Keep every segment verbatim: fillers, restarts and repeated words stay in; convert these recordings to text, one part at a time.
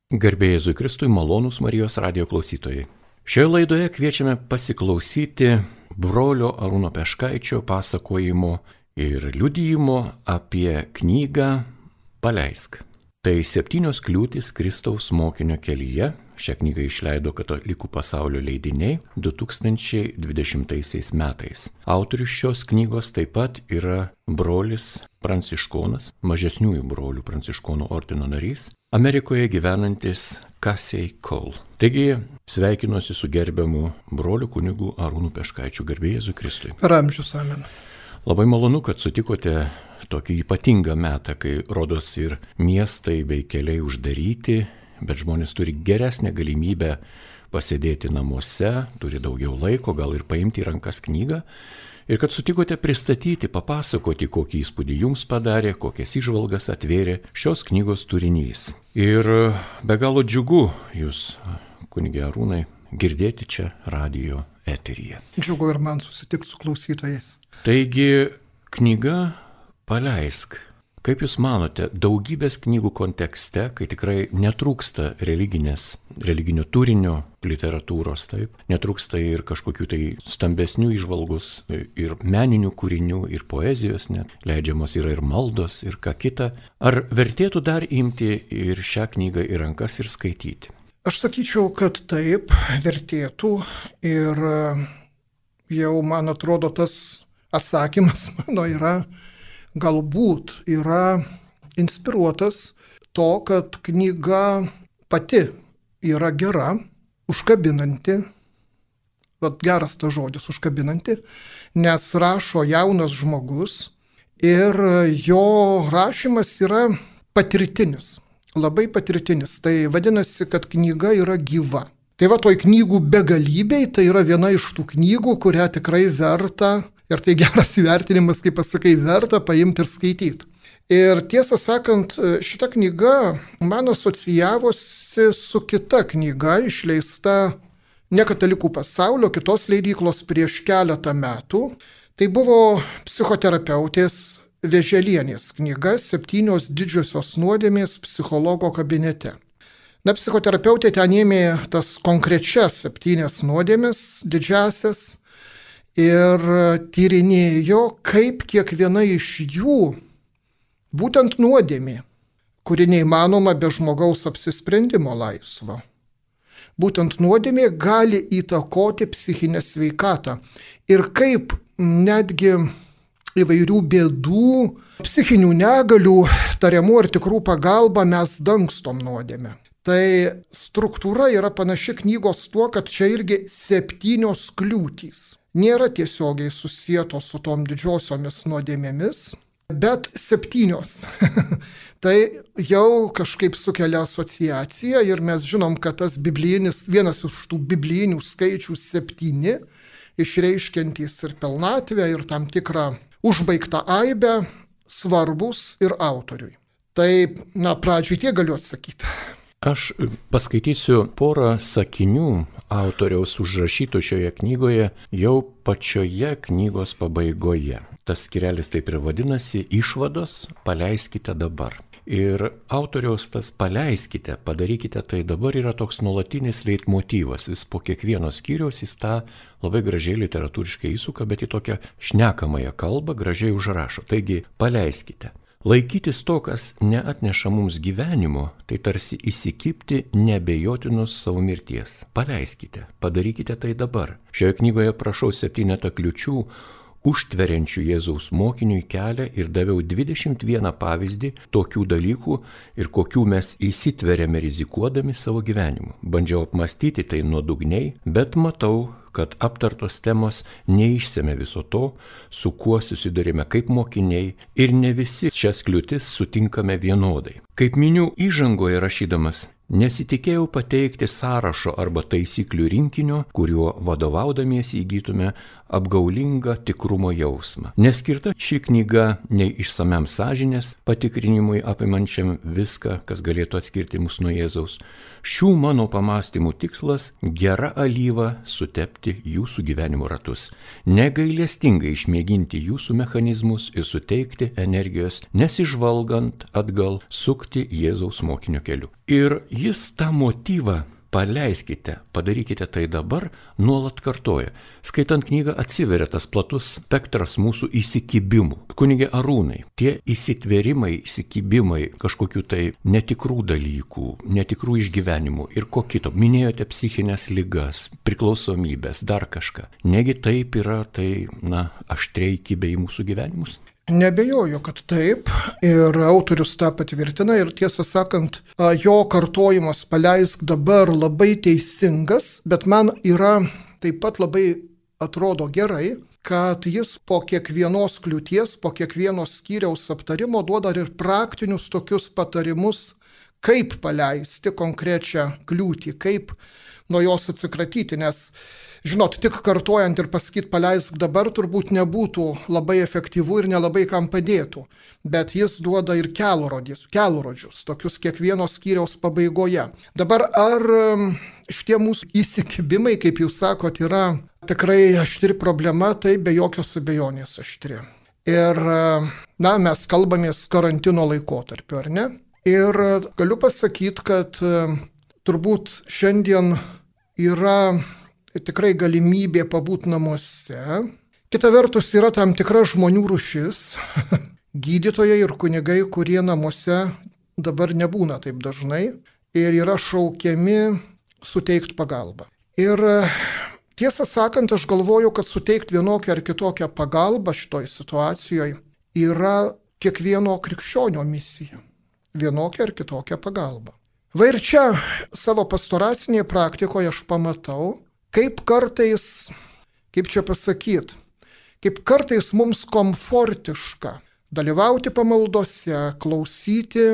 Garbė Jėzui Kristui, malonūs Marijos radijo klausytojai. Šioje laidoje kviečiame pasiklausyti brolio Arūno Peškaičio pasakojimo ir liudijimo apie knygą Paleisk. Tai septynios kliūtys Kristaus mokinio kelyje. Šią knygą išleido Katalikų pasaulio leidiniai du tūkstančiai dvidešimtaisiais metais. Autorius šios knygos taip pat yra brolis pranciškonas, mažesniųjų brolių pranciškonų ordino narys, Amerikoje gyvenantis Casey Cole. Taigi sveikinuosi su gerbiamu broliu kunigu Arūnu Peškaičiu. Garbė Jėzui Kristui. Per amžius, amen. Labai malonu, kad sutikote tokį ypatingą metą, kai rodos ir miestai bei keliai uždaryti, bet žmonės turi geresnę galimybę pasėdėti namuose, turi daugiau laiko, gal ir paimti į rankas knygą. Ir kad sutikote pristatyti, papasakoti, kokį įspūdį jums padarė, kokias įžvalgas atvėrė šios knygos turinys. Ir be galo džiugu jūs, kunige Arūnai, girdėti čia radijo eteryje. Džiugu ir man susitikti su klausytojais. Taigi, knyga Paleisk. Kaip Jūs manote, daugybės knygų kontekste, kai tikrai netrūksta religinės, religinio turinio literatūros, taip, netrūksta ir kažkokių tai stambesnių įžvalgus, ir meninių kūrinių, ir poezijos, net leidžiamos yra ir maldos, ir ką kita, ar vertėtų dar imti ir šią knygą į rankas ir skaityti? Aš sakyčiau, kad taip, vertėtų ir jau, man atrodo, tas atsakymas mano yra, galbūt yra inspiruotas to, kad knyga pati yra gera, užkabinanti, vat geras tas žodis užkabinanti, nes rašo jaunas žmogus ir jo rašymas yra patirtinis, labai patirtinis. Tai vadinasi, kad knyga yra gyva. Tai va toj knygų begalybei, tai yra viena iš tų knygų, kurią tikrai verta. Ir tai geras įvertinimas, kaip pasakai, verta paimti ir skaityti. Ir tiesą sakant, šita knyga man asocijavosi su kita knyga, išleista ne Katalikų pasaulio, kitos leidyklos prieš keletą metų. Tai buvo psichoterapeutės Vėželienės knyga Septynios didžiosios nuodėmės psichologo kabinete. Na, psichoterapeutė ten ėmė tas konkrečias septynias nuodėmės, didžiasias, ir tyrinėjo, kaip kiekviena iš jų, būtent nuodėmė, kuri neįmanoma be žmogaus apsisprendimo laisvo. Būtent nuodėmė gali įtakoti psichinę sveikatą. Ir kaip netgi įvairių bėdų, psichinių negalių, tariamų ar tikrų pagalba mes dangstom nuodėmę. Tai struktūra yra panaši knygos tuo, kad čia irgi septynios kliūtys. Nėra tiesiogiai susietos su tom didžiosiomis nuodėmėmis, bet septynios. Tai jau kažkaip sukelia asociaciją ir mes žinom, kad tas biblijinis, vienas iš tų biblijinių skaičių septyni, išreiškiantys ir pilnatvę, ir tam tikrą užbaigtą aibę, svarbus ir autoriui. Tai, na, pradžiui tiek galiu atsakyti. Aš paskaitysiu porą sakinių autoriaus užrašytų šioje knygoje jau pačioje knygos pabaigoje. Tas skyrelis taip ir vadinasi Išvados, paleiskite dabar. Ir autoriaus tas paleiskite, padarykite tai dabar yra toks nuolatinis leitmotyvas. Vis po kiekvieno skyriaus jis tą labai gražiai literatūriškai įsuka, bet į tokią šnekamąją kalbą gražiai užrašo. Taigi, paleiskite. Laikytis to, kas neatneša mums gyvenimo, tai tarsi įsikibti neabejotinus savo mirties. Paleiskite, padarykite tai dabar. Šioje knygoje prašau septynetą kliučių užtveriančių Jėzaus mokiniui kelią ir daviau dvidešimt vieną pavyzdį tokių dalykų ir kokių mes įsitveriame rizikuodami savo gyvenimu. Bandžiau apmastyti tai nuodugniai, bet matau, kad aptartos temos neišsemia viso to, su kuo susidurime kaip mokiniai ir ne visi šias kliūtis sutinkame vienodai. Kaip miniu įžangoje rašydamas, nesitikėjau pateikti sąrašo arba taisyklių rinkinio, kuriuo vadovaudamiesi įgytume apgaulingą tikrumo jausmą. Neskirta ši knyga nei išsamiam sąžinės patikrinimui apimančiam viską, kas galėtų atskirti mus nuo Jėzaus. Šių mano pamastymų tikslas – gera alyva sutepti jūsų gyvenimo ratus, negailestingai išmėginti jūsų mechanizmus ir suteikti energijos, nesižvalgant atgal sukti Jėzaus mokinio keliu. Ir jis tą motyvą paleiskite, padarykite tai dabar, nuolat kartoja. Skaitant knygą atsiveria tas platus spektras mūsų įsikibimų. Kunige Arūnai, tie įsitvėrimai, įsikibimai kažkokių tai netikrų dalykų, netikrų išgyvenimų ir ko kito. Minėjote psichinės ligas, priklausomybės, dar kažką. Negi taip yra, tai, na, aštriai kibė į mūsų gyvenimus? Nebejoju, kad taip, ir autorius tą patvirtina, ir tiesą sakant, jo kartojimas paleisk dabar labai teisingas, bet man yra taip pat labai atrodo gerai, kad jis po kiekvienos kliūties, po kiekvieno skyriaus aptarimo duoda ir praktinius tokius patarimus, kaip paleisti konkrečią kliūtį, kaip nuo jos atsikratyti, nes žinot, tik kartojant ir pasakyti paleisk dabar turbūt nebūtų labai efektyvu ir nelabai kam padėtų, bet jis duoda ir kelrodžius, kelrodžius tokius kiekvieno skyriaus pabaigoje. Dabar ar šitie mūsų įsikibimai, kaip jūs sakot, yra tikrai aštri problema, tai be jokios abejonės aštri. Ir, na, mes kalbamės karantino laikotarpiu, ar ne? Ir galiu pasakyti, kad turbūt šiandien yra tikrai galimybė pabūti namuose. Kita vertus yra tam tikra žmonių rūšis, gydytojai ir kunigai, kurie namuose dabar nebūna taip dažnai ir yra šaukiami suteikti pagalbą. Ir tiesą sakant, aš galvoju, kad suteikti vienokią ar kitokią pagalbą šitoj situacijoje yra kiekvieno krikščionio misija. Vienokią ar kitokią pagalbą. Va ir čia savo pastoracinėje praktikoje aš pamatau, kaip kartais, kaip čia pasakyti, kaip kartais mums komfortiška dalyvauti pamaldose, klausyti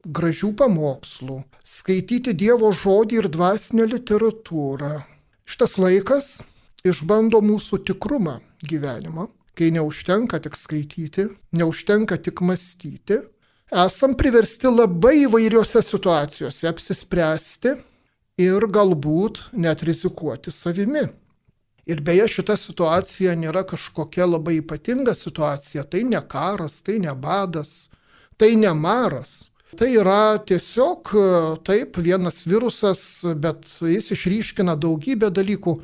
gražių pamokslų, skaityti Dievo žodį ir dvasinę literatūrą. Šitas laikas išbando mūsų tikrumą gyvenimo, kai neužtenka tik skaityti, neužtenka tik mąstyti. Esam priversti labai įvairiose situacijose apsispręsti ir galbūt net rizikuoti savimi. Ir beje, šita situacija nėra kažkokia labai ypatinga situacija, tai ne karas, tai ne badas, tai ne maras. Tai yra tiesiog taip vienas virusas, bet jis išryškina daugybę dalykų.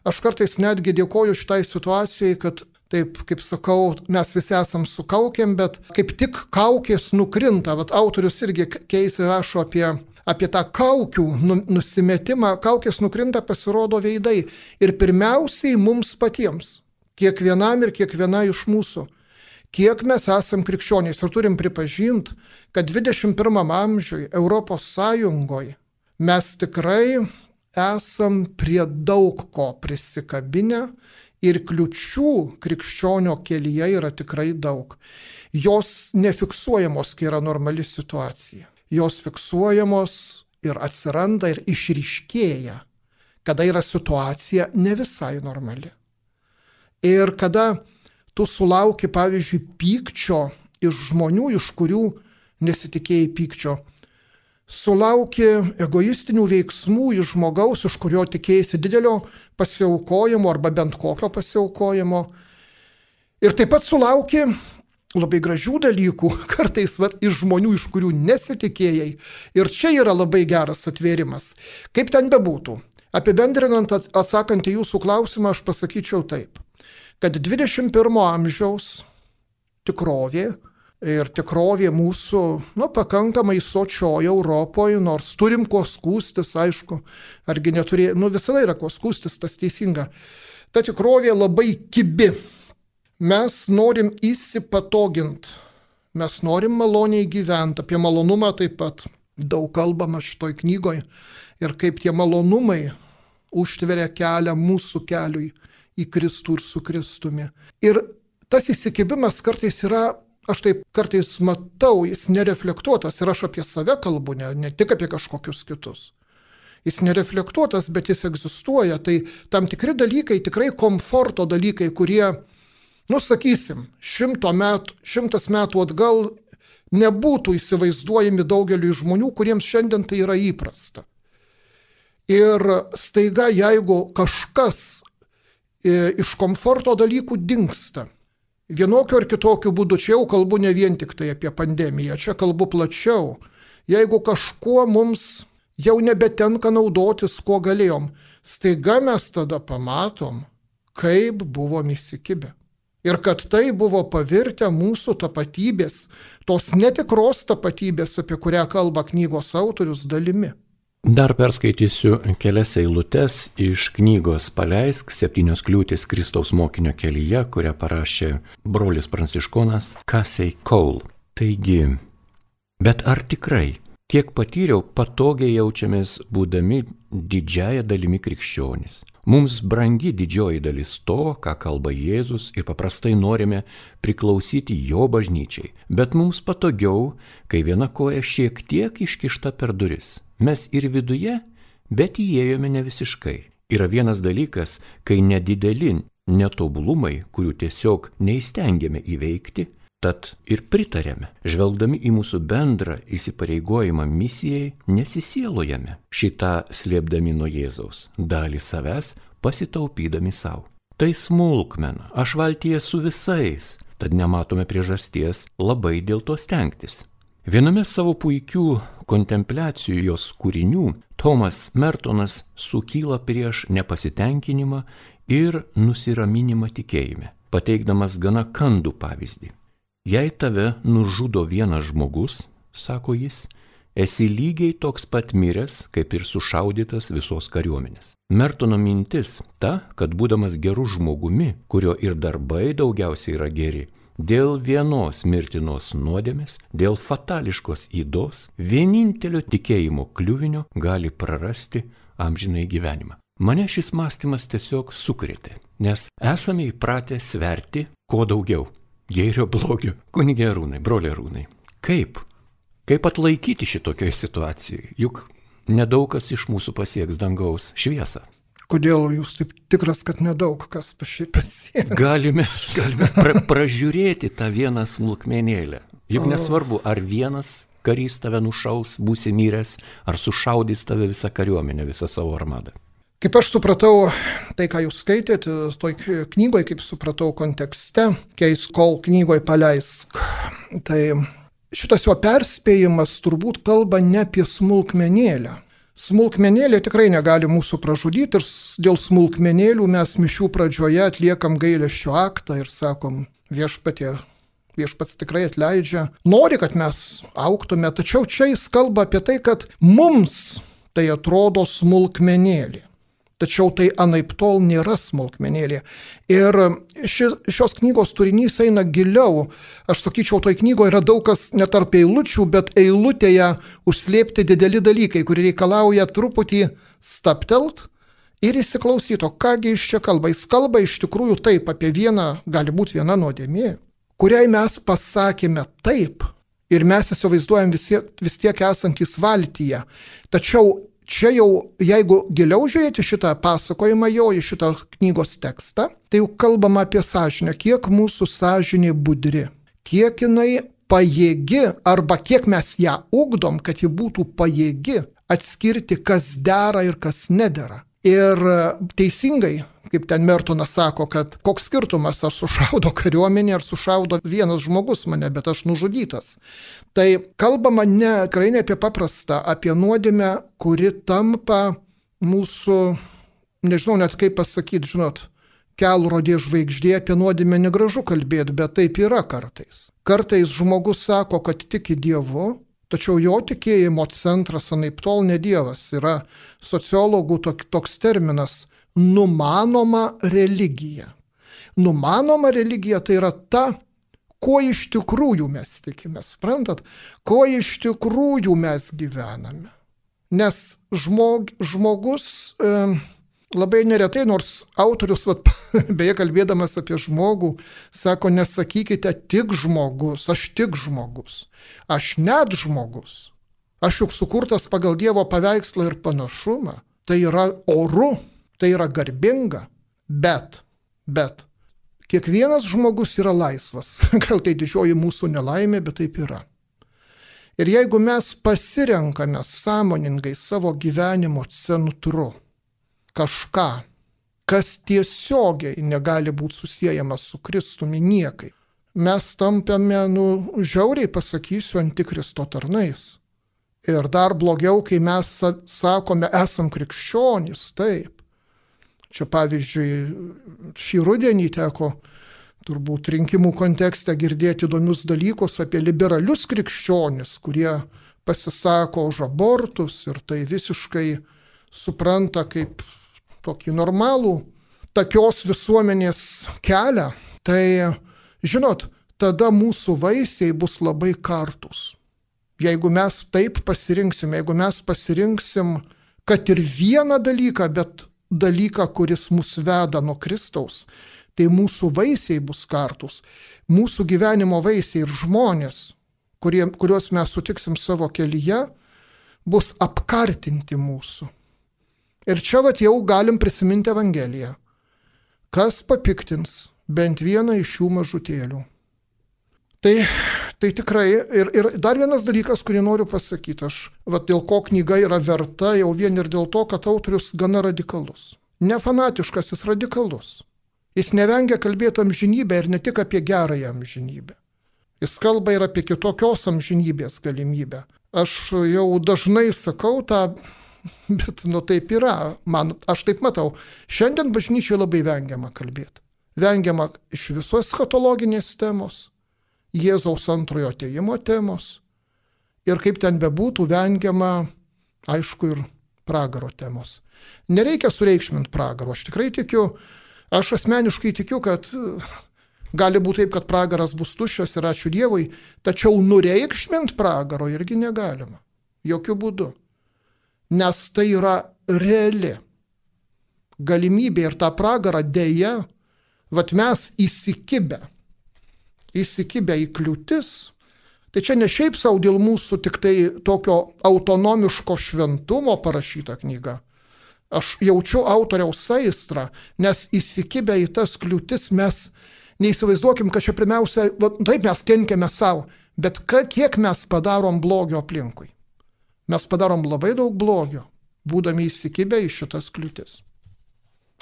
Aš kartais netgi dėkoju šitai situacijai, kad taip, kaip sakau, mes visi esam su kaukėm, bet kaip tik kaukės nukrinta. Vat autorius irgi keistai rašo apie apie tą kaukių nusimetimą, kaukės nukrinta, pasirodo veidai. Ir pirmiausiai mums patiems, kiekvienam ir kiekviena iš mūsų, kiek mes esam krikščionys. Ir turim pripažinti, kad dvidešimt pirmam amžiui Europos Sąjungoje mes tikrai esam prie daug ko prisikabinę ir kliučių krikščionio kelyje yra tikrai daug. Jos nefiksuojamos, kai yra normali situacija. Jos fiksuojamos ir atsiranda ir išryškėja, kada yra situacija ne visai normali. Ir kada tu sulauki, pavyzdžiui, pykčio iš žmonių, iš kurių nesitikėjai pykčio, sulauki egoistinių veiksmų iš žmogaus, iš kurio tikėjai didelio pasiaukojimo arba bent kokio pasiaukojimo. Ir taip pat sulauki labai gražių dalykų, kartais vat, iš žmonių, iš kurių nesitikėjai. Ir čia yra labai geras atvėrimas. Kaip ten bebūtų, apibendrinant, atsakant į jūsų klausimą, aš pasakyčiau taip, kad dvidešimt pirmo amžiaus tikrovė ir tikrovė mūsų, nu, pakankamai sočioje Europoje, nors turim ko skūstis, aišku, argi neturė, nu, visada yra ko skūstis, tas teisinga. Ta tikrovė labai kibi. Mes norim įsipatoginti, mes norim maloniai gyventi, apie malonumą taip pat daug kalbama šitoj knygoje ir kaip tie malonumai užtveria kelią mūsų keliui į Kristų ir su Kristumi. Ir tas įsikibimas kartais yra, aš taip kartais matau, jis nereflektuotas ir aš apie save kalbu, ne, ne tik apie kažkokius kitus. Jis nereflektuotas, bet jis egzistuoja, tai tam tikri dalykai, tikrai komforto dalykai, kurie nu, sakysim, šimto metų, šimtas metų atgal nebūtų įsivaizduojami daugeliu žmonių, kuriems šiandien tai yra įprasta. Ir staiga, jeigu kažkas iš komforto dalykų dingsta, vienokiu ar kitokiu būdu, čia jau kalbu ne vien tik tai apie pandemiją, čia kalbu plačiau, jeigu kažkuo mums jau nebetenka naudotis, kuo galėjom. Staiga mes tada pamatom, kaip buvom įsikibę. Ir kad tai buvo pavirtę mūsų tapatybės, tos netikros tapatybės, apie kurią kalba knygos autorius, dalimi. Dar perskaitysiu kelias eilutes iš knygos Paleisk septynios kliūtys Kristaus mokinio kelyje, kurią parašė brolis pranciškonas Casey Cole. Taigi, bet ar tikrai tiek patyriau, patogiai jaučiamės būdami didžiąją dalimi krikščionys? Mums brangi didžioji dalis to, ką kalba Jėzus, ir paprastai norime priklausyti jo bažnyčiai. Bet mums patogiau, kai viena koja šiek tiek iškišta per duris. Mes ir viduje, bet įėjome ne visiškai. Yra vienas dalykas, kai nedideli netobulumai, kurių tiesiog neįstengiame įveikti, tad ir pritarėme. Žvelgdami į mūsų bendrą įsipareigojimą misijai, nesisielojame, šitą slėpdami nuo Jėzaus, dalį savęs pasitaupydami savo. Tai smulkmena, aš valtyje su visais, tad nematome priežasties labai dėl to stengtis. Viename savo puikių kontempliacijų jos kūrinių Thomas Mertonas sukyla prieš nepasitenkinimą ir nusiraminimą tikėjime, pateikdamas gana kandų pavyzdį. Jei tave nužudo vienas žmogus, sako jis, esi lygiai toks pat miręs, kaip ir sušaudytas visos kariuomenės. Mertono mintis ta, kad būdamas geru žmogumi, kurio ir darbai daugiausiai yra geri, dėl vienos mirtinos nuodėmės, dėl fatališkos ydos, vienintelio tikėjimo kliuvinio gali prarasti amžinai gyvenimą. Mane šis mąstymas tiesiog sukrėtė, nes esame įpratę sverti kuo daugiau. Gėrio blogio. Kunige Arūnai, broli Arūnai, kaip? Kaip atlaikyti šitokioj situacijai? Juk nedaug kas iš mūsų pasieks dangaus šviesą. Kodėl jūs taip tikras, kad nedaug kas pasieks? Galime, galime pra, pražiūrėti tą vieną smulkmenėlę. Juk nesvarbu, ar vienas karys tave nušaus, būsi miręs, ar sušaudys tave visą kariuomenę, visą savo armadą. Kaip aš supratau, tai ką jūs skaitėte, toj knygoje, kaip supratau kontekste, Casey Cole knygoje Paleisk, tai šitas jo perspėjimas turbūt kalba ne apie smulkmenėlę. Smulkmenėlė tikrai negali mūsų pražudyti ir dėl smulkmenėlių mes mišių pradžioje atliekam gailesčio aktą ir sakom, viešpatie, viešpats tikrai atleidžia, nori, kad mes augtume, tačiau čia jis kalba apie tai, kad mums tai atrodo smulkmenėlė. Tačiau tai anaiptol nėra smulkmenėlė. Ir ši, šios knygos turinys eina giliau. Aš sakyčiau, toj knygoje yra daug kas ne tarp eilučių, bet eilutėje užslėpti dideli dalykai, kurie reikalauja truputį staptelt ir įsiklausyti, kągi iš čia kalba. Jis kalba iš tikrųjų taip apie vieną, gali būti viena nuodėmė, kuriai mes pasakėme taip ir mes įsivaizduojam vis tiek, vis tiek esantys valtyje. Tačiau čia jau, jeigu giliau žiūrėti šitą pasakojimą jo į šitą knygos tekstą, tai jau kalbama apie sąžinę, kiek mūsų sąžinė budri, kiek jinai pajėgi arba kiek mes ją ugdom, kad ji būtų pajėgi atskirti, kas dera ir kas nedera. Ir teisingai, kaip ten Mertonas sako, kad koks skirtumas, ar sušaudo kariuomenė, ar sušaudo vienas žmogus mane, bet aš nužudytas. Tai kalbama ne, tikrai ne apie paprastą, apie nuodėmę, kuri tampa mūsų, nežinau net kaip pasakyti, žinot, kelrodė žvaigždė, apie nuodėmę negražu kalbėti, bet taip yra kartais. Kartais žmogus sako, kad tiki Dievu, tačiau jo tikėjimo centras anaiptol ne Dievas. Yra sociologų toks terminas numanoma religija. Numanoma religija tai yra ta, ko iš tikrųjų mes tikime, suprantat, ko iš tikrųjų mes gyvename. Nes žmog, žmogus e, labai neretai, nors autorius, vat, beje kalbėdamas apie žmogų, sako, nesakykite tik žmogus, aš tik žmogus, aš net žmogus, aš juk sukurtas pagal Dievo paveikslą ir panašumą, tai yra oru, tai yra garbinga, bet, bet, kiekvienas žmogus yra laisvas, gal tai didžioji mūsų nelaimė, bet taip yra. Ir jeigu mes pasirenkame sąmoningai savo gyvenimo centru kažką, kas tiesiogiai negali būti susiejamas su Kristumi niekai, mes tampame, nu, žiauriai pasakysiu, antikristo tarnais. Ir dar blogiau, kai mes sakome, esam krikščionys, taip. Čia pavyzdžiui, šį rudenį teko turbūt rinkimų kontekste girdėti įdomius dalykus apie liberalius krikščionis, kurie pasisako už abortus ir tai visiškai supranta kaip tokį normalų takios visuomenės kelią. Tai, žinot, tada mūsų vaisiai bus labai kartus. Jeigu mes taip pasirinksim, jeigu mes pasirinksim, kad ir vieną dalyką, bet dalyką, kuris mus veda nuo Kristaus, tai mūsų vaisiai bus kartus. Mūsų gyvenimo vaisiai ir žmonės, kurie, kuriuos mes sutiksim savo kelyje, bus apkartinti mūsų. Ir čia vat jau galim prisiminti Evangeliją. Kas papiktins bent vieną iš šių mažutėlių? Tai, tai tikrai, ir, ir dar vienas dalykas, kurį noriu pasakyti, aš, vat, dėl ko knyga yra verta, jau vien ir dėl to, kad autorius gana radikalus. Ne fanatiškas, jis radikalus. Jis nevengia kalbėti amžinybę ir ne tik apie gerąją amžinybę. Jis kalba ir apie kitokios amžinybės galimybę. Aš jau dažnai sakau tą, bet nu taip yra, man, aš taip matau. Šiandien bažnyčioje labai vengiama kalbėti. Vengiama iš visos eschatologinės temos, Jėzaus antrojo atėjimo temos ir kaip ten bebūtų vengiama, aišku, ir pragaro temos. Nereikia sureikšminti pragaro. Aš tikrai tikiu, aš asmeniškai tikiu, kad gali būti taip, kad pragaras bus tuščias ir ačiū Dievui, tačiau nureikšminti pragaro irgi negalima. Jokių būdų. Nes tai yra reali galimybė ir tą pragarą dėja, vat mes įsikibę. įsikibę į kliūtis, tai čia ne šiaip savo dėl mūsų tik tai tokio autonomiško šventumo parašyta knyga. Aš jaučiu autoriaus aistrą, nes įsikibę į tas kliūtis mes neįsivaizduokim, kad čia pirmiausia, va, taip mes kenkiame savo, bet kiek mes padarom blogio aplinkui. Mes padarom labai daug blogio, būdami įsikibę į šitas kliūtis.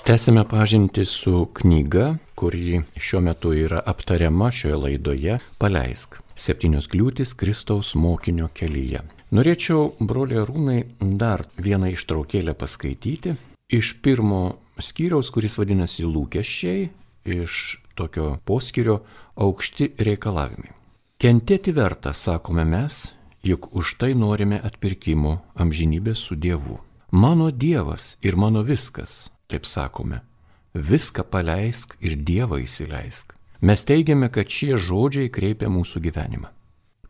Tęsime pažintį su knyga, kuri šiuo metu yra aptariama šioje laidoje Paleisk. Septynios kliūtys Kristaus mokinio kelyje. Norėčiau, broliai Arūnai, dar vieną ištraukėlę paskaityti iš pirmo skyriaus, kuris vadinasi Lūkesčiai, iš tokio poskyrio Aukšti reikalavimai. Kentėti verta, sakome mes, juk už tai norime atpirkimo amžinybės su Dievu. Mano Dievas ir mano viskas. Taip sakome, viską paleisk ir Dievą įsileisk. Mes teigiame, kad šie žodžiai kreipia mūsų gyvenimą.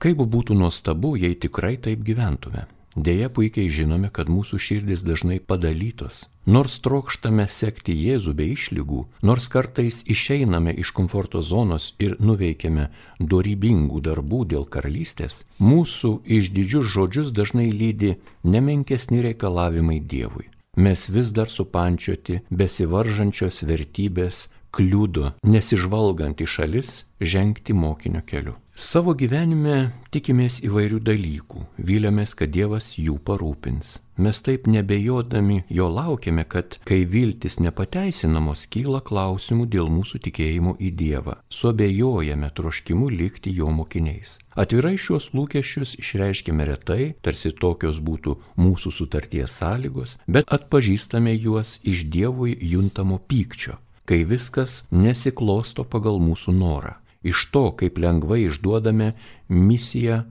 Kaip būtų nuostabu, jei tikrai taip gyventume. Deja, puikiai žinome, kad mūsų širdis dažnai padalytos. Nors trokštame sekti Jėzų be išlygų, nors kartais išeiname iš komforto zonos ir nuveikiame dorybingų darbų dėl karalystės, mūsų išdidžius žodžius dažnai lydi nemenkesni reikalavimai Dievui. Mes vis dar supančioti besivaržančios vertybės kliudo, nesižvalgant į šalis, žengti mokinio keliu. Savo gyvenime tikimės įvairių dalykų, viliamės, kad Dievas jų parūpins. Mes taip nebejodami jo laukiame, kad kai viltis nepateisinamos, kyla klausimų dėl mūsų tikėjimo į Dievą. Suabejojame troškimu likti jo mokiniais. Atvirai šios lūkesčius išreiškime retai, tarsi tokios būtų mūsų sutarties sąlygos, bet atpažįstame juos iš Dievui juntamo pykčio, kai viskas nesiklosto pagal mūsų norą. Iš to, kaip lengvai išduodame misiją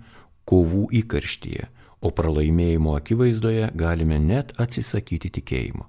kovų įkarštyje, o pralaimėjimo akivaizdoje galime net atsisakyti tikėjimo.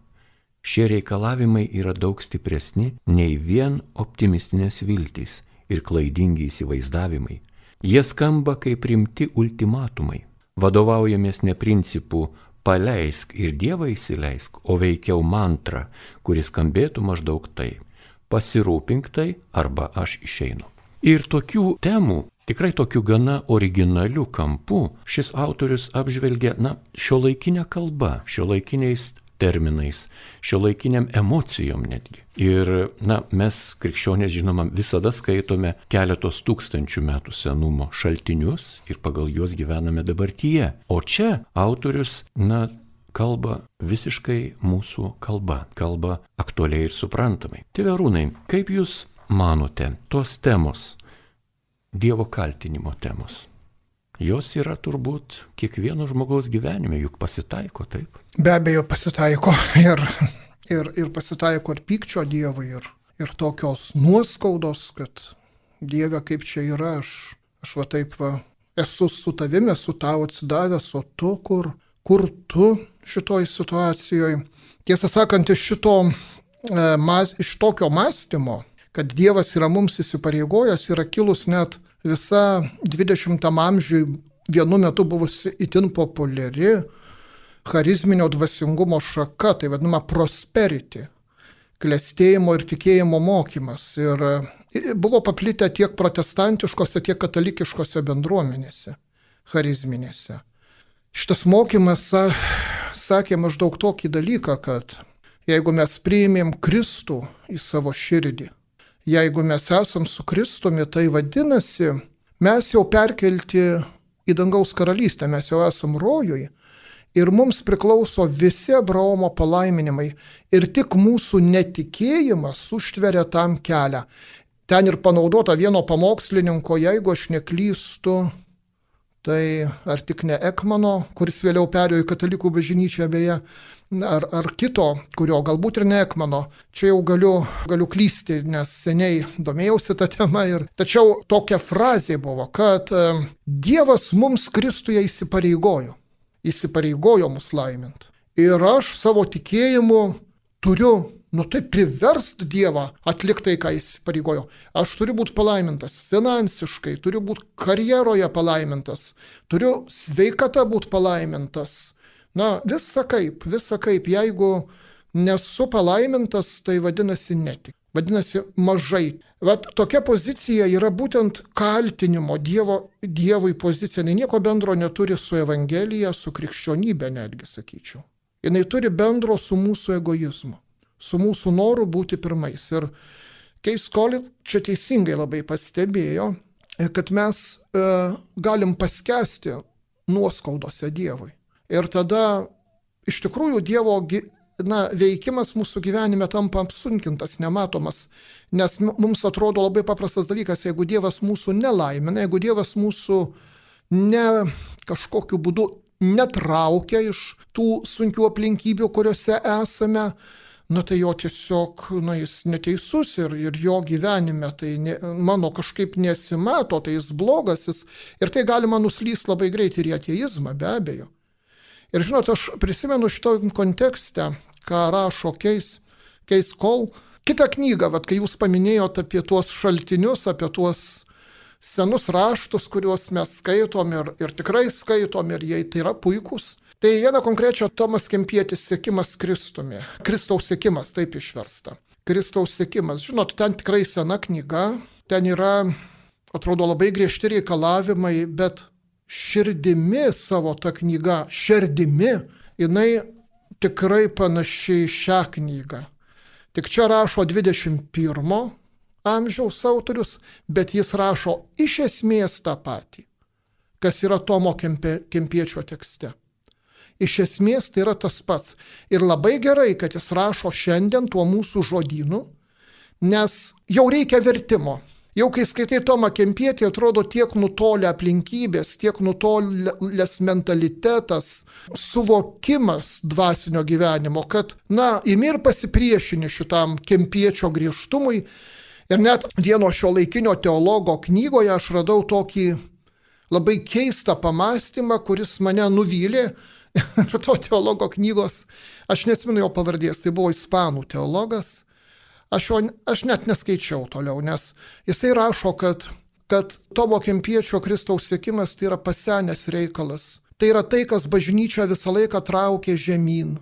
Šie reikalavimai yra daug stipresni nei vien optimistinės viltys ir klaidingi įsivaizdavimai. Jie skamba kaip rimti ultimatumai. Vadovaujamės ne principu paleisk ir Dievą įsileisk, o veikiau mantra, kuris skambėtų maždaug taip: pasirūpink tai arba aš išeinu. Ir tokių temų, tikrai tokių gana originalių kampų, šis autorius apžvelgia, na, šiuolaikinę kalbą, šiuolaikiniais terminais, šiuolaikiniam emocijom netgi. Ir, na, mes krikščionės, žinoma, visada skaitome keletos tūkstančių metų senumo šaltinius ir pagal juos gyvename dabartyje. O čia autorius, na, kalba visiškai mūsų kalba, kalba aktualiai ir suprantamai. Tėve Arūnai, kaip jūs manote, tos temos, Dievo kaltinimo temos, jos yra turbūt kiekvieno žmogaus gyvenime, juk pasitaiko, taip? Be abejo pasitaiko ir, ir, ir pasitaiko ir pykčio Dievui, ir, ir tokios nuoskaudos, kad Dieve, kaip čia yra, aš, aš va taip va, esu su tavimi, esu tau atsidavęs, o tu kur, kur tu šitoj situacijoje. Tiesą sakant, iš, šito, e, mas, iš tokio mąstymo, kad Dievas yra mums įsipareigojęs, yra kilus net visa dvidešimtam amžiui vienu metu buvusi itin populiari charizminio dvasingumo šaka, tai vadinama prosperity, klestėjimo ir tikėjimo mokymas. Ir buvo paplitę tiek protestantiškose, tiek katalikiškose bendruomenėse, charizminėse. Šitas mokymas sakė maždaug tokį dalyką, kad jeigu mes priėmėm Kristų į savo širdį, jeigu mes esam su Kristumi, tai vadinasi, mes jau perkelti į dangaus karalystę, mes jau esam rojuje ir mums priklauso visi Abraomo palaiminimai ir tik mūsų netikėjimas užtveria tam kelią. Ten ir panaudota vieno pamokslininko, jeigu aš neklystu, tai ar tik ne Ekmano, kuris vėliau perėjo į katalikų bažnyčią beje, ar, ar kito, kurio galbūt ir ne Ekmano. Čia jau galiu, galiu klysti, nes seniai domėjausi tą temą. Ir, tačiau tokia frazė buvo, kad e, Dievas mums Kristuje įsipareigojo. Įsipareigojo mus laiminti. Ir aš savo tikėjimu turiu, nu tai priverst Dievą atlikti tai, ką jis įsipareigojo. Aš turiu būti palaimintas finansiškai, turiu būti karjeroje palaimintas, turiu sveikata būti palaimintas. Na, visa kaip, visa kaip, jeigu nesu palaimintas, tai vadinasi netik. Vadinasi mažai. Vat tokia pozicija yra būtent kaltinimo Dievo, Dievui pozicija. Jis nieko bendro neturi su Evangelija, su krikščionybė netgi, sakyčiau. Jis turi bendro su mūsų egoizmu, su mūsų noru būti pirmais. Ir Keis Colin čia teisingai labai pastebėjo, kad mes e, galim paskesti nuoskaudose Dievui. Ir tada iš tikrųjų Dievo na, veikimas mūsų gyvenime tampa apsunkintas, nematomas, nes mums atrodo labai paprastas dalykas, jeigu Dievas mūsų nelaimina, jeigu Dievas mūsų ne kažkokiu būdu netraukia iš tų sunkių aplinkybių, kuriuose esame, na tai jo tiesiog, na jis neteisus ir, ir jo gyvenime tai ne, mano kažkaip nesimato, tai jis blogas, jis, ir tai galima nuslysti labai greit ir į ateizmą, be abejo. Ir žinot, aš prisimenu šito kontekste, ką rašo Keis, Keis Cole, kitą knygą, vat, kai jūs paminėjote apie tuos šaltinius, apie tuos senus raštus, kuriuos mes skaitom ir, ir tikrai skaitom ir jie tai yra puikūs. Tai viena konkrečia Tomas Kempietis sekimas Kristumi. Kristaus sekimas, taip išversta. Kristaus sekimas. Žinot, ten tikrai sena knyga, ten yra, atrodo, labai griežti reikalavimai, bet širdimi savo ta knyga, širdimi, jinai tikrai panašiai šią knygą. Tik čia rašo dvidešimt pirmo amžiaus autorius, bet jis rašo iš esmės tą patį, kas yra Tomo Kempie, Kempiečio tekste. Iš esmės tai yra tas pats. Ir labai gerai, kad jis rašo šiandien tuo mūsų žodynu, nes jau reikia vertimo. Jau kai skaitai Tomą Kempietį, atrodo tiek nutolę aplinkybės, tiek nutolęs mentalitetas, suvokimas dvasinio gyvenimo, kad, na, imi ir pasipriešini šitam Kempiečio griežtumui. Ir net vieno šio laikinio teologo knygoje aš radau tokį labai keistą pamastymą, kuris mane nuvylė. Ir to teologo knygos, aš neatsimenu jo pavardės, tai buvo ispanų teologas. Aš, jo, aš net neskaičiau toliau, nes jisai rašo, kad, kad Tomo Kempiečio Kristaus sekimas tai yra pasenęs reikalas. Tai yra tai, kas bažnyčią visą laiką traukė žemyn,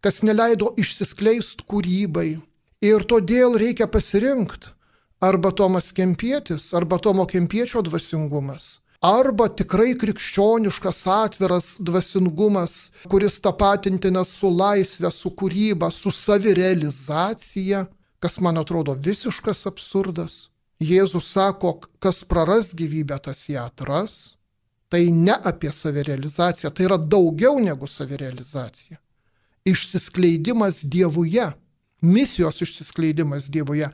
kas neleido išsiskleisti kūrybai. Ir todėl reikia pasirinkti arba Tomas Kempietis, arba Tomo Kempiečio dvasingumas, arba tikrai krikščioniškas atviras dvasingumas, kuris tapatintinas su laisvė, su kūryba, su savirealizacija, kas man atrodo visiškas absurdas. Jėzus sako, kas praras gyvybę, tas ją atras. Tai ne apie savirealizaciją, tai yra daugiau negu savirealizacija. Išsiskleidimas Dievuje, misijos išsiskleidimas Dievuje.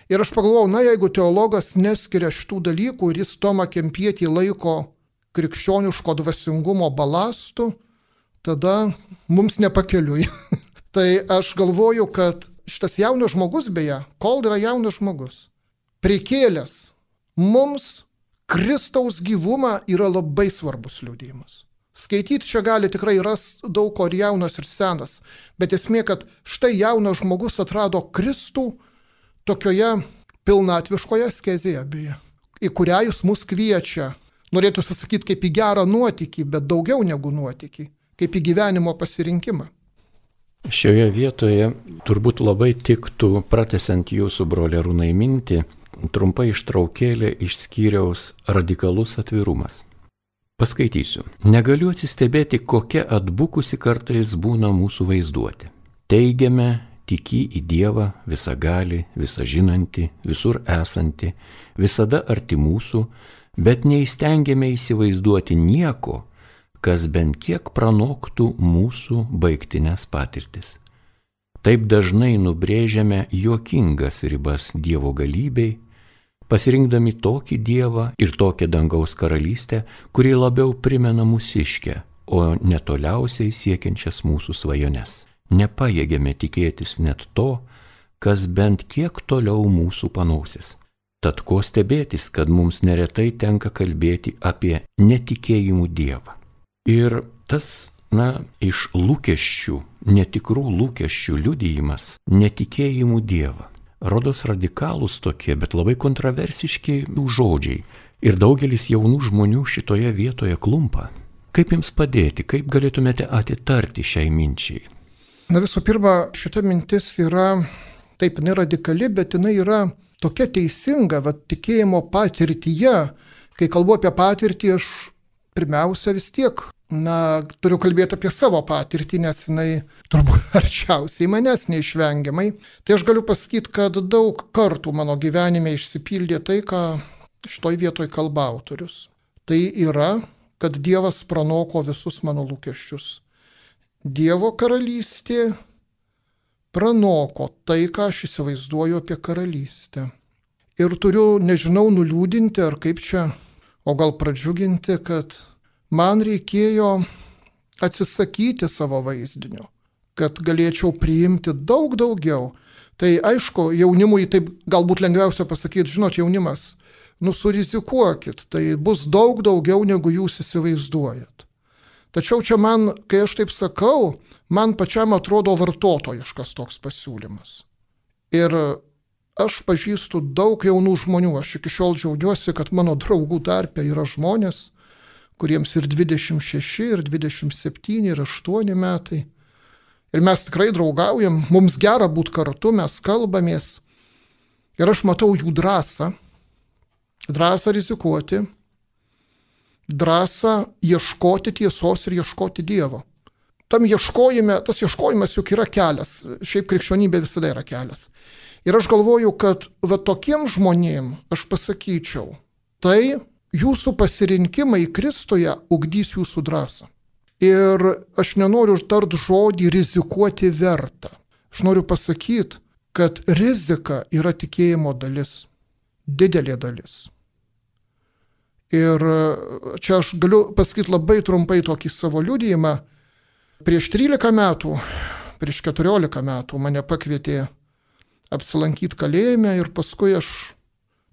Ir aš pagalvojau, na jeigu teologas neskiria šitų dalykų ir jis Tomą Kempietį laiko krikščioniško dvasingumo balastų, tada mums nepakeliui. Tai aš galvoju, kad šitas jaunas žmogus beje, kol yra jaunas žmogus, prikėlęs, mums Kristaus gyvumą yra labai svarbus liudijimas. Skaityti čia gali tikrai ras daug ko ir jaunas ir senas, bet esmė, kad štai jaunas žmogus atrado Kristų tokioje pilnatviškoje askezėje beje, į kurią jis mus kviečia. Norėtų sakyti kaip į gerą nuotykį, bet daugiau negu nuotykį, kaip į gyvenimo pasirinkimą. Šioje vietoje turbūt labai tiktų, pratęsiant jūsų brolį Arūnai mintį, trumpai ištraukėlė iš skyriaus radikalus atvirumas. Paskaitysiu. Negaliu atsistebėti, kokia atbukusi kartais būna mūsų vaizduotė. Teigiame, tiki į Dievą visagalį, visažinantį, visur esantį, visada arti mūsų, bet neįstengiame įsivaizduoti nieko, kas bent kiek pranoktų mūsų baigtinės patirtis. Taip dažnai nubrėžiame juokingas ribas Dievo galybei, pasirinkdami tokį Dievą ir tokią dangaus karalystę, kuri labiau primena mūsiškę, o netoliausiai siekiančias mūsų svajones. Nepajėgėme tikėtis net to, kas bent kiek toliau mūsų panausis. Tad ko stebėtis, kad mums neretai tenka kalbėti apie netikėjimų Dievą. Ir tas, na, iš lūkesčių, netikrų lūkesčių liudijimas netikėjimų Dievą. Rodos radikalūs tokie, bet labai kontroversiški žodžiai. Ir daugelis jaunų žmonių šitoje vietoje klumpa. Kaip jums padėti, kaip galėtumėte atitarti šiai minčiai? Na visų pirma, šita mintis yra, taip, jinai radikali, bet jinai yra tokia teisinga, va, tikėjimo patirtyje. Kai kalbu apie patirtį, aš pirmiausia vis tiek, na, turiu kalbėti apie savo patirtį, nes jinai turbūt arčiausiai manęs neišvengiamai. Tai aš galiu pasakyti, kad daug kartų mano gyvenime išsipildė tai, ką šitoj vietoj kalba autorius. Tai yra, kad Dievas pranoko visus mano lūkesčius. Dievo karalystė pranoko tai, ką aš įsivaizduoju apie karalystę. Ir turiu, nežinau, nuliūdinti ar kaip čia, o gal pradžiuginti, kad man reikėjo atsisakyti savo vaizdinio, kad galėčiau priimti daug daugiau. Tai aišku, jaunimui taip galbūt lengviausia pasakyti, žinot, jaunimas, nu surizikuokit, tai bus daug daugiau, negu jūs įsivaizduojat. Tačiau čia man, kai aš taip sakau, man pačiam atrodo vartotojiškas toks pasiūlymas. Ir aš pažįstu daug jaunų žmonių, aš iki šiol džiaugiuosi, kad mano draugų tarpe yra žmonės, kuriems ir dvidešimt šeši, ir dvidešimt septyni, ir aštuoni metai. Ir mes tikrai draugaujam, mums gera būti kartu, mes kalbamės. Ir aš matau jų drąsą, drąsą rizikuoti, drąsą ieškoti tiesos ir ieškoti Dievo. Tam ieškojime, tas ieškojimas juk yra kelias, šiaip krikščionybė visada yra kelias. Ir aš galvoju, kad va tokiem žmonėm aš pasakyčiau, tai jūsų pasirinkimai Kristuje ugdys jūsų drąsą. Ir aš nenoriu tart žodį rizikuoti verta. Aš noriu pasakyti, kad rizika yra tikėjimo dalis, didelė dalis. Ir čia aš galiu pasakyti labai trumpai tokį savo liudijimą. Prieš trylika metų, prieš keturiolika metų mane pakvietė apsilankyti kalėjime ir paskui aš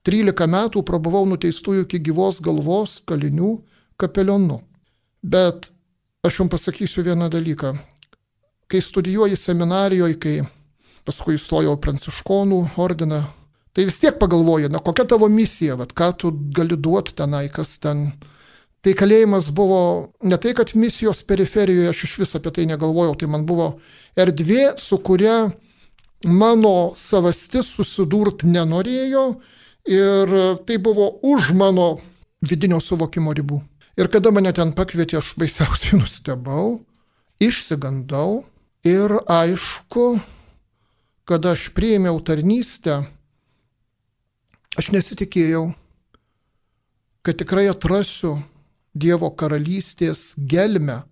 trylika metų prabuvau nuteistųjų iki gyvos galvos kalinių kapelionu. Bet aš jums pasakysiu vieną dalyką. Kai studijuoji seminarijoje, kai paskui įstojau pranciškonų ordiną, tai vis tiek pagalvoji, na kokia tavo misija, vat, ką tu gali duoti tenai, kas ten. Tai kalėjimas buvo ne tai, kad misijos periferijoje, aš iš vis apie tai negalvojau, tai man buvo erdvė, su kuria mano savastis susidurti nenorėjo ir tai buvo už mano vidinio suvokimo ribų. Ir kada mane ten pakvietė, aš baisiausiai nustebau, išsigandau ir aišku, kada aš priėmiau tarnystę, aš nesitikėjau, kad tikrai atrasiu Dievo karalystės gelmę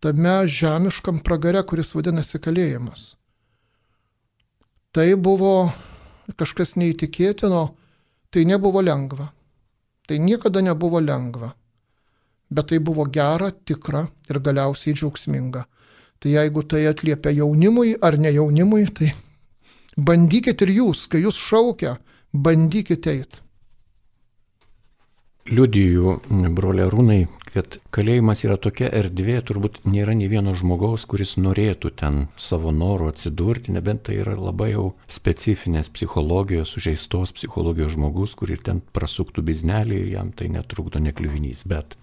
tame žemiškam pragare, kuris vadinasi kalėjimas. Tai buvo kažkas neįtikėtino, tai nebuvo lengva. Tai niekada nebuvo lengva. bet tai buvo gera, tikra ir galiausiai džiaugsminga. Tai jeigu tai atliepia jaunimui ar ne jaunimui, tai bandykit ir jūs, kai jūs šaukia, bandykit eit. Liudiju, broliai Arūnai, kad kalėjimas yra tokia erdvė, turbūt nėra nei vieno žmogaus, kuris norėtų ten savo norų atsidurti, nebent tai yra labai jau specifinės psichologijos, sužeistos psichologijos žmogus, kur ir ten prasuktų biznelį ir jam tai netrukdo nekliuvinys. Bet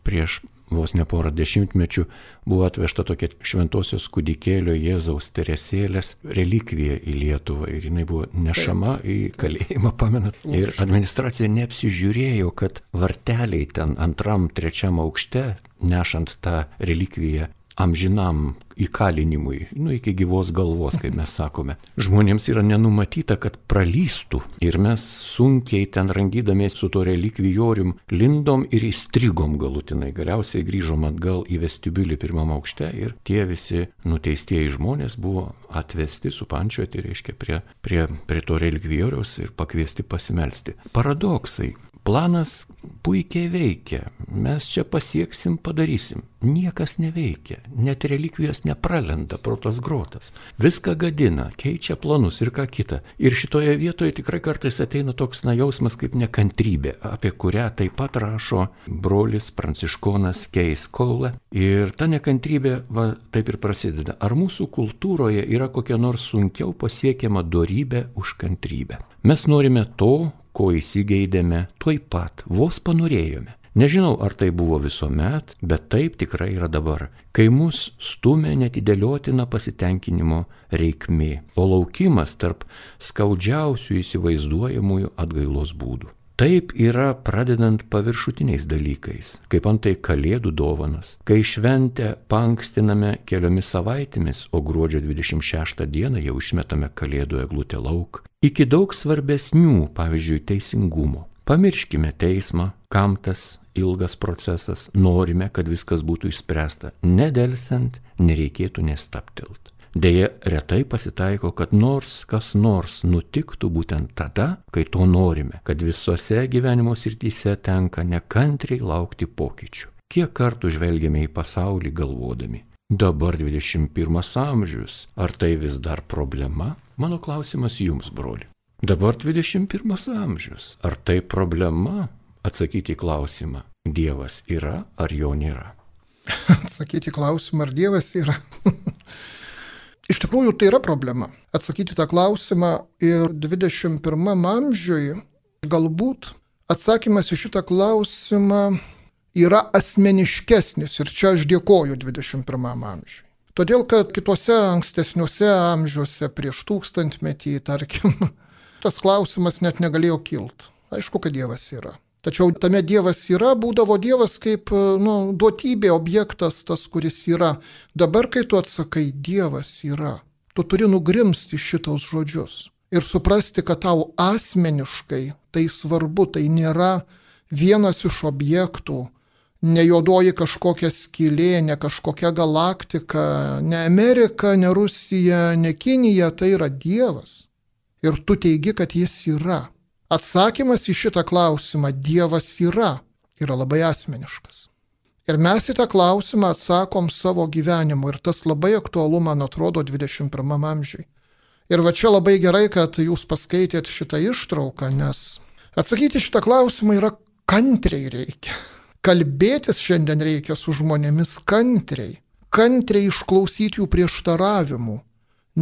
prieš vos ne porą dešimtmečių buvo atvežta tokia šventosios kūdikėlio Jėzaus Teresėlės relikvija į Lietuvą ir jinai buvo nešama į kalėjimą, pamenat. Ir administracija neapsižiūrėjo, kad varteliai ten antram, trečiam aukšte, nešant tą relikviją amžinam įkalinimui, nu iki gyvos galvos, kaip mes sakome. Žmonėms yra nenumatyta, kad pralystų ir mes sunkiai ten rangydamės su to relikvijorium lindom ir įstrigom galutinai. Galiausiai grįžom atgal į vestibiulį pirmam aukšte ir tie visi nuteistieji žmonės buvo atvesti, supančiuoti, reiškia, prie, prie, prie to relikvijoriaus ir pakviesti pasimelsti. Paradoksai. Planas puikiai veikia, mes čia pasieksim, padarysim. Niekas neveikia, net relikvijos nepralenda pro tas grotas. Viską gadina, keičia planus ir ką kita. Ir šitoje vietoje tikrai kartais ateina toks na jausmas kaip nekantrybė, apie kurią taip pat rašo brolis pranciškonas Keis Cole. Ir ta nekantrybė va, taip ir prasideda. Ar mūsų kultūroje yra kokia nors sunkiau pasiekiama dorybė už kantrybę? Mes norime to, ko įsigeidėme tuoj pat, vos panorėjome. Nežinau, ar tai buvo visuomet, bet taip tikrai yra dabar, kai mus stumia netidėliotina pasitenkinimo reikmė, o laukimas tarp skaudžiausių įsivaizduojamųjų atgailos būdų. Taip yra pradedant paviršutiniais dalykais, kaip antai kalėdų dovanas, kai šventę paankstiname keliomis savaitėmis, o gruodžio dvidešimt šeštą dieną jau išmetame kalėdų eglutę lauk, iki daug svarbesnių, pavyzdžiui, teisingumo. Pamirškime teismą, kam tas ilgas procesas, norime, kad viskas būtų išspręsta. Nedelsiant, nereikėtų nestaptelt. Deja, retai pasitaiko, kad nors kas nors nutiktų būtent tada, kai to norime, kad visose gyvenimo srityse tenka nekantriai laukti pokyčių. Kiek kartų žvelgiame į pasaulį galvodami, dabar dvidešimt pirmas amžius, ar tai vis dar problema? Mano klausimas jums, broli. Dabar dvidešimt pirmas amžius, ar tai problema? Atsakyti į klausimą, Dievas yra ar jo nėra? Atsakyti į klausimą, ar Dievas yra? Iš tikrųjų, tai yra problema. Atsakyti tą klausimą ir dvidešimt pirmam amžiui galbūt atsakymas į šitą klausimą yra asmeniškesnis ir čia aš dėkoju dvidešimt pirmam amžiui. Todėl, kad kitose ankstesniuose amžiuose prieš tūkstantmetį, tarkim, tas klausimas net negalėjo kilti. Aišku, kad Dievas yra. Tačiau tame Dievas yra, būdavo Dievas kaip nu, duotybė, objektas tas, kuris yra. Dabar, kai tu atsakai, Dievas yra, tu turi nugrimsti šitos žodžius ir suprasti, kad tau asmeniškai tai svarbu, tai nėra vienas iš objektų, ne juodoji kažkokia skylė, ne kažkokia galaktika, ne Amerika, ne Rusija, ne Kinija, tai yra Dievas. Ir tu teigi, kad jis yra. Atsakymas į šitą klausimą Dievas yra, yra labai asmeniškas. Ir mes į tą klausimą atsakom savo gyvenimu ir tas labai aktualu, man atrodo, dvidešimt pirmam amžiui. Ir va čia labai gerai, kad jūs paskaitėt šitą ištrauką, nes atsakyti šitą klausimą yra kantriai reikia. Kalbėtis šiandien reikia su žmonėmis kantriai. Kantriai išklausyti jų prieštaravimų.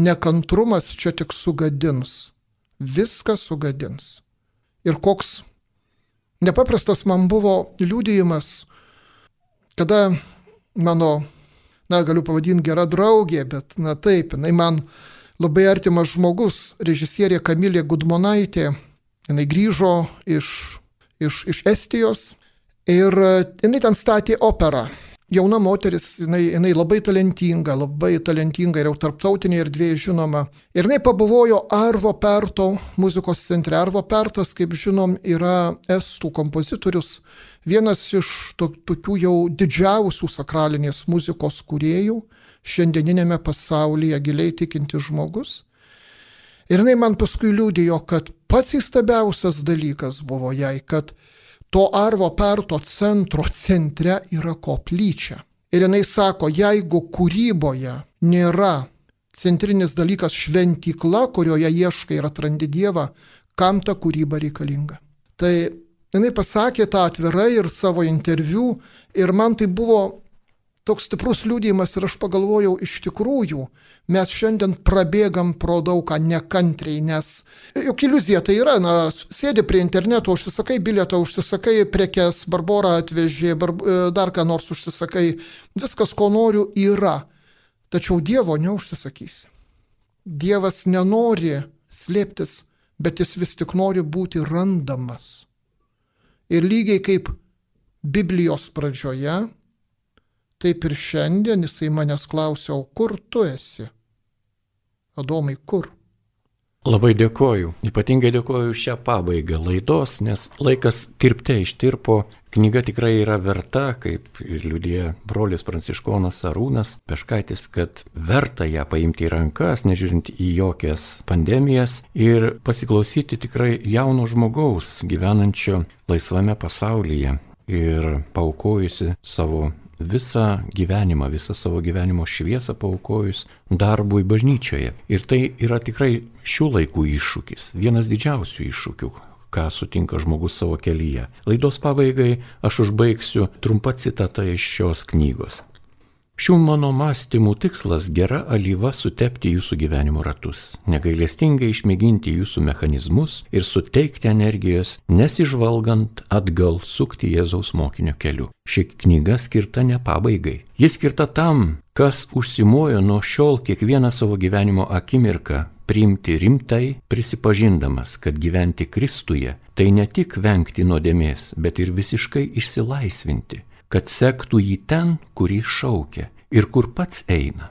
Nekantrumas čia tik sugadins. Viską sugadins. Ir koks nepaprastas man buvo liudijimas, kada mano, na, galiu pavadinti gera draugė, bet, na taip, jinai man labai artimas žmogus, režisierė Kamilė Gudmonaitė, jinai grįžo iš, iš, iš Estijos ir jinai ten statė operą. Jauna moteris, jinai, jinai labai talentinga, labai talentinga ir jau tarptautinėje erdvėje žinoma. Ir jinai pabuvojo Arvo Perto muzikos centre. Arvo Pertas, kaip žinom, yra estų kompozitorius, vienas iš to, tokių jau didžiausių sakralinės muzikos kūrėjų, šiandieninėme pasaulyje giliai tikintis žmogus. Ir jinai man paskui liudijo, kad pats įstabiausias dalykas buvo jai, kad to Arvo Perto centro centre yra koplyčia. Ir jinai sako, jeigu kūryboje nėra centrinis dalykas šventykla, kurioje ieškai ir atrandi Dievą, kam ta kūryba reikalinga. Tai jinai pasakė tą atvirai ir savo interviu ir man tai buvo toks stiprus liudijimas ir aš pagalvojau, iš tikrųjų, mes šiandien prabėgam pro daugą nekantriai, nes juk iliuzija tai yra, na, sėdi prie interneto, užsisakai bilietą, užsisakai prekes, Barbora atvežė, bar, dar ką nors užsisakai, viskas, ko noriu, yra. Tačiau Dievo neužsisakysi. Dievas nenori slėptis, bet jis vis tik nori būti randamas. Ir lygiai kaip Biblijos pradžioje, taip ir šiandien jisai manęs klausia, o kur tu esi? Adomai, kur? Labai dėkoju. Ypatingai dėkoju šią pabaigą laidos, nes laikas tirpte ištirpo. Knyga tikrai yra verta, kaip ir liudija brolis pranciškonas Arūnas Peškaitis, kad verta ją paimti į rankas, nežiūrint į jokias pandemijas ir pasiklausyti tikrai jauno žmogaus gyvenančio laisvame pasaulyje ir paukojusi savo visą gyvenimą, visą savo gyvenimo šviesą paaukojus darbui bažnyčioje. Ir tai yra tikrai šių laikų iššūkis, vienas didžiausių iššūkių, ką sutinka žmogus savo kelyje. Laidos pabaigai aš užbaigsiu trumpą citatą iš šios knygos. Šių mano mąstymų tikslas gera alyva sutepti jūsų gyvenimo ratus, negailestingai išmėginti jūsų mechanizmus ir suteikti energijos, nesižvalgant atgal sukti Jėzaus mokinio keliu. Ši knyga skirta ne pabaigai. Ji skirta tam, kas užsimojo nuo šiol kiekvieną savo gyvenimo akimirką priimti rimtai, prisipažindamas, kad gyventi Kristuje tai ne tik vengti nuodėmės, bet ir visiškai išsilaisvinti, kad sektų jį ten, kur jį šaukia ir kur pats eina.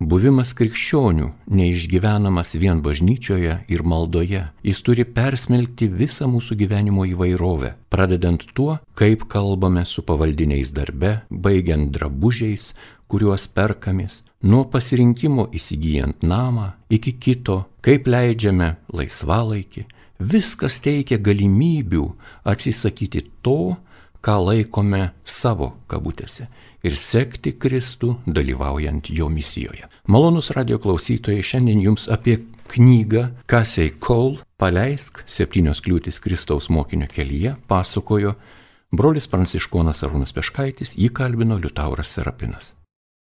Buvimas krikščionių neišgyvenamas vien bažnyčioje ir maldoje. Jis turi persmelkti visą mūsų gyvenimo įvairovę, pradedant tuo, kaip kalbame su pavaldiniais darbe, baigiant drabužiais, kuriuos perkamės, nuo pasirinkimo įsigijant namą iki kito, kaip leidžiame laisvalaikį. Viskas teikia galimybių atsisakyti to, ką laikome savo kabutėse, ir sekti Kristų dalyvaujant jo misijoje. Malonus radio klausytojai, šiandien jums apie knygą Casey Cole Paleisk septynios kliūtys Kristaus mokinio kelyje pasakojo brolis pranciškonas Arūnas Peškaitis, jį kalbino Liutauras Serapinas.